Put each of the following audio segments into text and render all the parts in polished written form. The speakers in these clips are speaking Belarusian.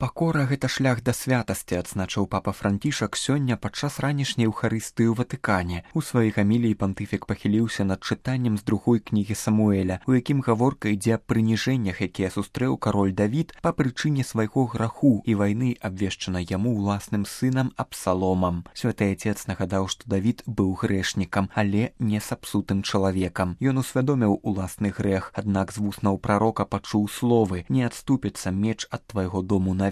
Пакора гэта шлях да святасці, адзначыў папа Францішак сёння падчас ранішняй эўхарыстыі ў Ватыкане. У сваёй гаміліі пантыфік пахіліўся над чытаннем з другой кнігі Самуэля, у якім гаворка ідзе аб прыніжэннях, якія сустрэў кароль Давід па прычыне свайго граху і вайны, абвешчанай яму ўласным сынам Абсаломам. Святы Отец нагадаў, што Давід быў грэшнікам, але не сапсутым чалавекам. Ён усвядоміў уласны грэх, аднак з вуснаў прарока пачуў словы: «Не адступіцца меч ад твайго дому навекі».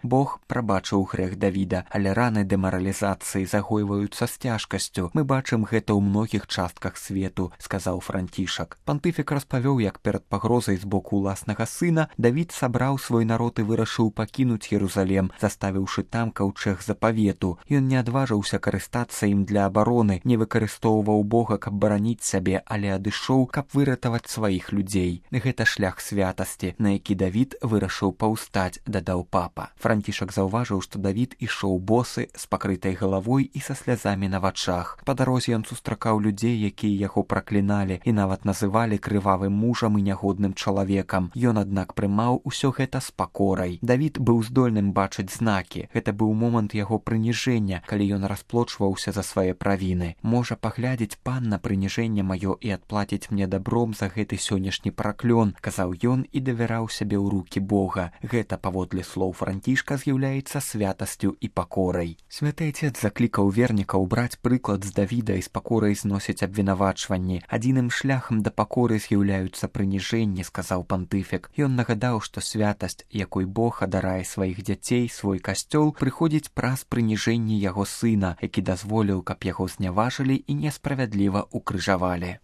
Бог прабачыў грэх Давіда, але раны дэмаралізацыі загойваюцца з цяжкасцю. Мы бачым гэта ў многіх частках свету, сказаў Францішак. Пантыфік распавёў, як перад пагрозай з боку ўласнага сына Давід сабраў свой народ і вырашыў пакінуць Єрусалем, заставіўшы там каўчэг запавету. Ён не адважыўся карыстацца ім для абароны, не выкарыстоўваў Бога, каб бараніць сябе, але адышоў, каб выратаваць сваіх людзей. Гэта шлях святасці, на які Давід вырашыў паўстаць, дадаў папа. Францішак заўважыў, што Давід ішоў босы, з пакрытай галавой і са слязамі на вачах. Па дарозе ён сустракаў людзей, якія яго пракліналі і нават называлі крывавым мужам і нягодным чалавекам. Ён, аднак, прымаў усё гэта з пакорай. Давід быў здольным бачыць знакі. Гэта быў момант яго прыніжэння, калі ён расплочваўся за свае правіны. Можа паглядзець пан на прыніжэнне маё і адплаціць мне дабром за гэты сённяшні праклён, казаў ён і давяраў сябе ў рукі Бога. Гэта, паводле слоў Францішка, з'яўляецца святасцю і пакорай. Святы Отец заклікаў вернікаў браць прыклад з Давіда і з пакорай зносіць абвінавачванні. Адзіным шляхам да пакоры з'яўляюцца прыніжэнні, сказаў пантыфік. Ён нагадаў, што святасць, якой Бог адарае сваіх дзяцей, свой касцёл, прыходзіць праз прыніжэнне яго сына, які дазволіў, каб яго зняважылі і несправядліва укрыжавалі.